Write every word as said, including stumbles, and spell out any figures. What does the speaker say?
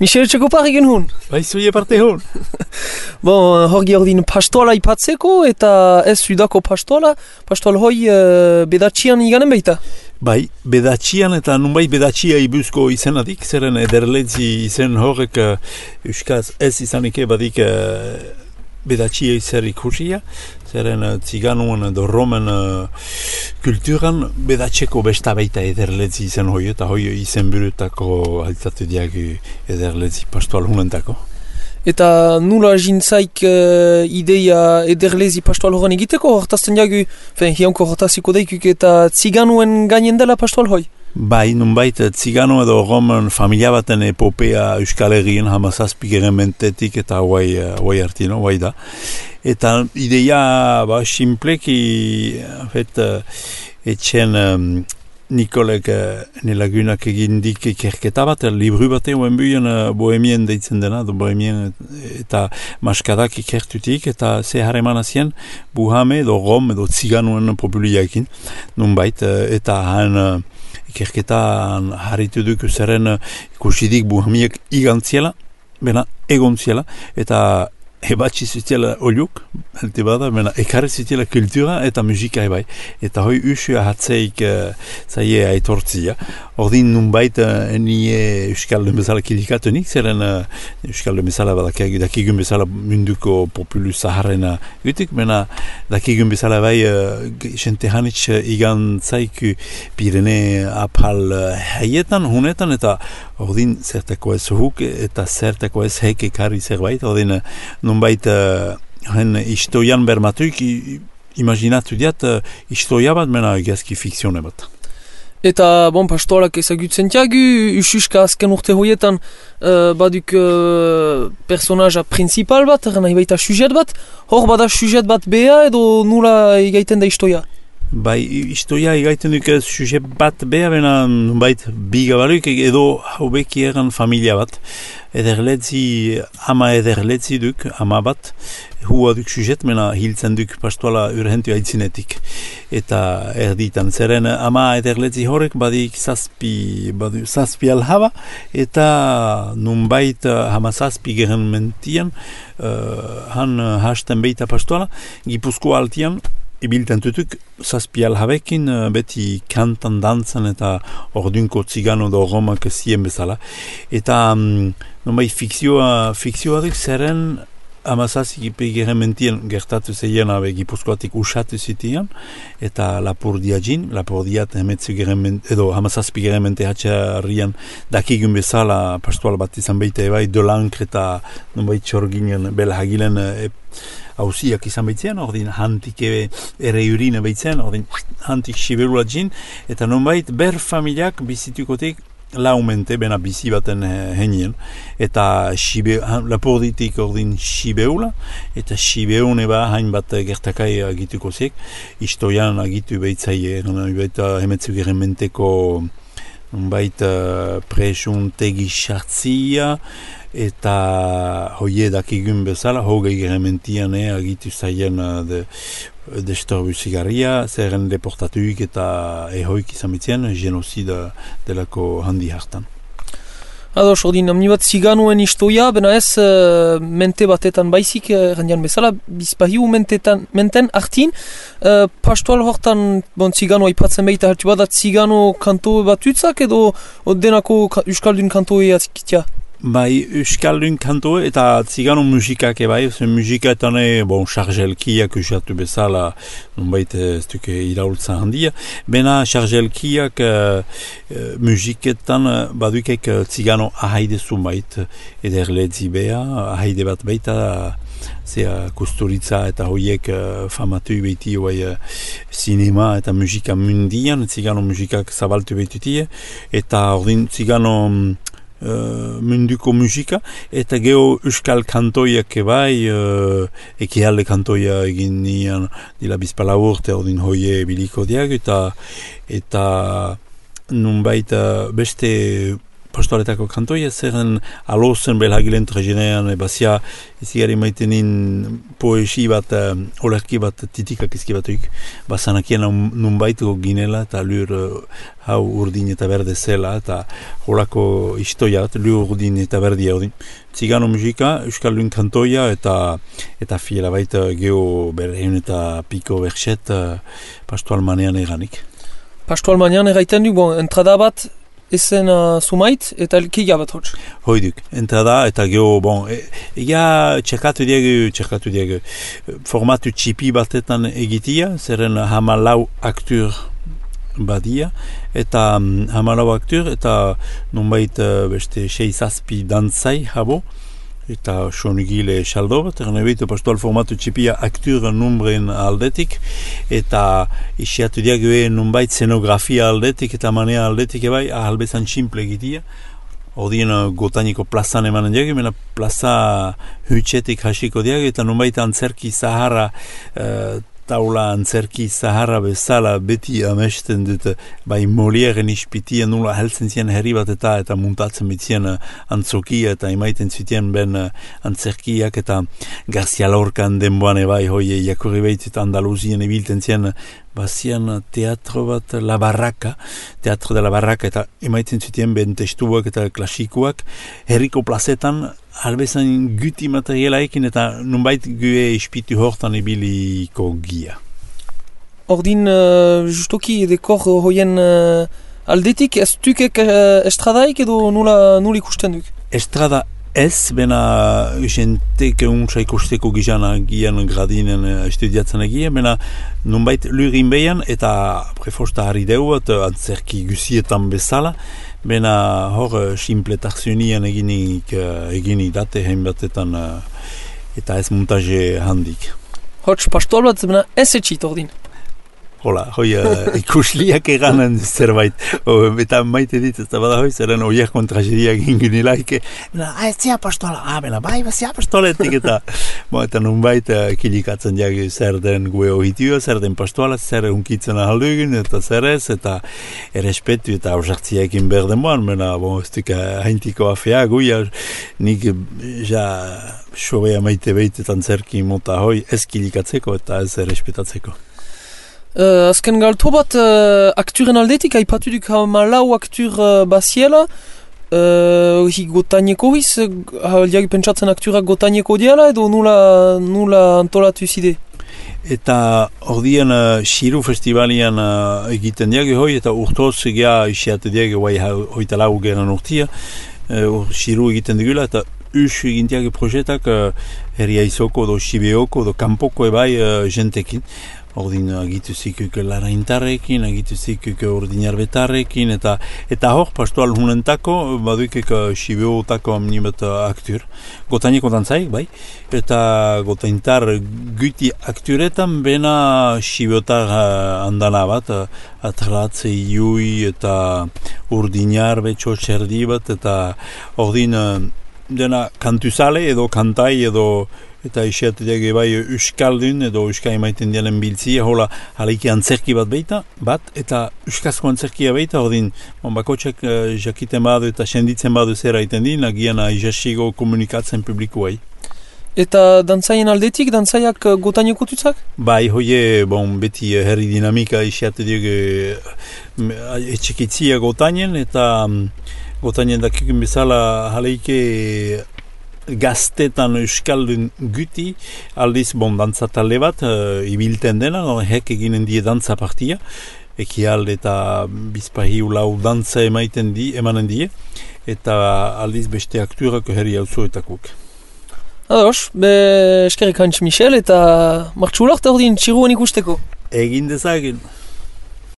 Michel Txekopar egin hun? Bai, zuie parte hun. Bon, horgi ordin pastoala ipatzeko eta ez sudako pastoala, pastoal hoi uh, bedatxian iganen baita? Bai, bedatxian eta nunbait bedatxia ibuzko izenadik, zeren ederletzi izen horrek uh, euskaz ez izanike badik uh, bedatxia izer ikusia, zeren uh, ziganuen edo romen uh, kulturan bedatxeko besta baita ederletzi izen hoi, eta hoi izen burutako altzatu diagu ederletzi pastoal hunentako. Eta nula jintzaik uh, ideia ederlezi pastoal horan egiteko, hortazten jagu, fen, hianko hortaziko daikuk eta ziganuen gainen dela pastoal hoi? Bai, nunbait, zigano edo roman familia baten epopea Euskal Herrien hamazazpigeren mentetik eta hauai, hauai artino, hauai da. Eta ideia, ba, simpleki, fet, etxen um, Nikolek uh, nelagunak egindik ikerketa bat, libru bat eguen buien uh, bohemien deitzen dena, do bohemien eta maskadak ikertutik, eta ze harreman azien buhame edo rom edo ziganuen populiaekin, nunbait, uh, eta han uh, ikerketan harritu duk zeren uh, ikusidik buhamiek igantziela, bena egontziela, eta ebatzi zutela oliuk, halte bada, mena ekarri zutela kultura eta musika ebai. Eta hoi usua hatzeik uh, zaie aitortzia. Ordin nunbait uh, nie Euskaldun bezala kilikatunik, zeren uh, Euskaldun bezala dakigun bezala munduko populu zaharrena gutik, mena dakigun bezala bai uh, jente hanitz uh, igan zaiku Pirene apal uh, haietan, hunetan, eta ordin zertako ez huk eta zertako ez hek ekarri zerbait, ordin uh, nunbait uh, hen istoian bermatuik imaginatu diat uh, istoia bat mena egazki fikzione bat. Eta, bon, pastoalak ezagutzen tiagu, ususka azken urte hoietan uh, baduk uh, personaja principal bat, nahi baita sujet bat, hor bada sujet bat beha edo nula egaiten da istoia? Bai, istoia egaiten duk sujet bat beha, bena bait bigabaluk edo haubeki eran familia bat. Ederletzi, ama ederletzi duk, ama bat, hua duk sujet, mena hiltzen duk pastoala urhentu aitzinetik. Eta erditan, zeren ama ederletzi horrek badik zazpi, badik zazpi alhaba, eta nunbait hama zazpi geren mentian, uh, han hasten beita pastoala, Gipuzko altian, ibilten tutuk, zazpi alhabekin beti kantan dantzan eta ordunko zigano do romak zien bezala. Eta um, nomai fikzioa, fikzioa duk zeren amazazik ipegeren mentien gertatu zeien abe Gipuzkoatik usatu zitian, eta lapurdia jin, lapurdiat hemetzu geren mente, edo hamazazpi geren mente hatxarrian dakigun bezala pastoal bat izan beite ebai dolankr eta nomai txorginen bela hagilen e, hauziak izan behitzen, ordin hantik ere urine behitzen, ordin hantik siberula jin, eta nonbait ber familiak bizitukotik laumente bena bizi baten henien, eta sibe, laporditik ordin sibeula, eta sibeun eba hainbat gertakai agituko zek, istoian agitu behitzaie, eta hemetzu geren menteko nonbait uh, presuntegi sartzia, eta hoie dakigun bezala, hogei gerementian eh, agitu zaien uh, de, destorbu zigarria, zerren deportatuik eta ehoik izan bitzen, genozida delako handi hartan. Ados, ordin, amni bat ziganuen istoia, bena ez uh, mente batetan baizik, errandian uh, bezala, bizpahiu mentetan, menten artin, uh, pastoal hortan, bon, ziganoa ipatzen behita hartu badat, zigano kanto bat utzak edo denako Euskaldun kantoe atzikitia? Bai, Euskaldun kanto eta zigano musikak ebai, musikaetan bon, chargelkiak usatu bezala, nonbait ez duke iraultza handia, bena chargelkiak uh, musiketan uh, badukek uh, zigano ahaide zumait, ederletzi beha, ahaide bat baita, zea Kusturitza eta hoiek uh, famatu behiti hoai uh, sinema eta musika mundian, zigano musikak zabaltu behitutie, eta ordin zigano Uh, munduko musika, eta geho euskal kantoiak ebai, uh, ekialde kantoia egin nian dila bizpala urte ordin hoie biliko diag, eta eta nunbait uh, beste pastoaletako kantoia, zerren alozen belhagilen trajenean, bazia izigari maitenin poesi bat, uh, olerki bat titikak izkibatuik, bazanakien nun baituko ginela, eta lur uh, hau urdin eta berde zela, eta holako istoia bat, lur urdin eta berdia urdin. Zigano musika, euskaldun kantoia, eta eta fiela baita geho berreun eta piko berxet uh, pastoal manean eganik. Pastoal manean egaiten du, bon, entrada bat, ezen uh, sumait eta elkeia bat hotz. Hoiduk, entrada eta geho, bon, e, ega txekatu diegu, txekatu diegu, formatu txipi batetan egitia, zeren hamalau aktur badia, eta um, hamalau aktur, eta nonbait uh, beste seizazpi dantzai habo, eta sonigile saldo bat, erne behitu pastoal formatu txipia aktur numbren aldetik, eta isiatu diagoe nonbait scenografia aldetik, eta manea aldetik ebai, ahalbezan simple egitia, odien gotaniko plazan emanen diago, mena plaza hutsetik hasiko diago, eta nonbait antzerki zaharra, uh, taula antzerki zaharra bezala beti amesten dut bai Molieren ispitia nula heltzen zien herri bat eta eta muntatzen bitzien antzokia eta imaiten zitien ben antzerkiak eta Garcia Lorcan denboan ebai hoi jakurri behitzit Andaluzien ibilten zien bazian teatro bat La Barraca, teatro de la Barraca eta imaiten zitien ben testuak eta klasikoak herriko plazetan albezan guti materialaekin eta nunbait gue ispitu hortan ibiliko gia. Ordin, uh, justoki dekor hoien uh, aldetik, ez dukek uh, estradaik edo nula, nula ikusten duk? Estrada ez, bena jentek untsa ikusteko gizana gian gradinen estudiatzen egia, bena nunbait lurin behan eta prefosta harri deu bat antzerki gusietan bezala, bena hor simpletarzionian eginik, eginik date hein batetan eta ez montaje handik. Hots pastoal bat bena ez etxit ordin? Hola, hoi uh, ikusliak eganen zerbait, o, eta maite dit, ez da bada hoi, zeren oiak kontragedia gingunilaik, bena, ah, ez zia pastoala, ah, bena, bai, zia pastoaletik, eta, bo, eta nunbait uh, kilikatzen diag zer den gue ohitio, zer den pastoala, zer unkitzen ahaldugun, eta zer ez, eta errespetu eta ausartziaekin berden boan, bena, bo, ez duk haintiko afea, guia, nik ja sobea maite behitetan zerki mota hoi, ez kilikatzeko eta ez errespetatzeko. Uh, azken galto bat uh, akturen aldetik, haipatu duk hamalau aktur uh, baziela, uh, hi gotaineko hiz, uh, pentsatzen akturak gotaineko diala edo nula, nula antolatu zide? Eta ordien uh, Xiru festivalian uh, egiten diag hoi, eta urtoz egia isiatu diag hoi hoita lau geran urtia, uh, Xiru egiten digula, eta us egin diag projetak uh, herria izoko, do Sibeoko, do Kampoko ebai uh, jentekin. Ordin agitu zikuk laraintarrekin, agitu zikuk ordinarbetarrekin, eta eta hor pastoal hunentako, baduikek Sibeotako amnimet aktur. Gotaineko dantzaik, bai, eta gotaintar guti akturetan bena Sibeotar andana bat, atratze iui eta ordinar betxo txerdi bat, eta ordin dena kantuzale edo kantai edo eta isiateak bai euskaldun edo euskai maiten dialen biltzia, hola halaiki antzerki bat beita, bat, eta euskazko antzerkia beita, ordin, bon, bakotxak uh, jakiten badu eta senditzen badu zera iten din, agian aizasigo komunikatzen publikuai. Eta dantzaien aldetik, dantzaiak uh, gotaineko tutzak? Bai, hoie, bon, beti uh, herri dinamika isiateak uh, etxekitzia gotainen, eta um, gotainen dakikun bezala halaike gaztetan euskaldun guti, aldiz bon dantza talde bat, uh, ibilten dena, no, hek eginen die dantza partia, ekialde eta bizpahiu lau dantza emaiten di, emanen die, eta aldiz beste akturak herri auzoetakuk. Ados, be eskerrik hantz Michel, eta martxulak eta ordin txiruan ikusteko. Egin dezagun.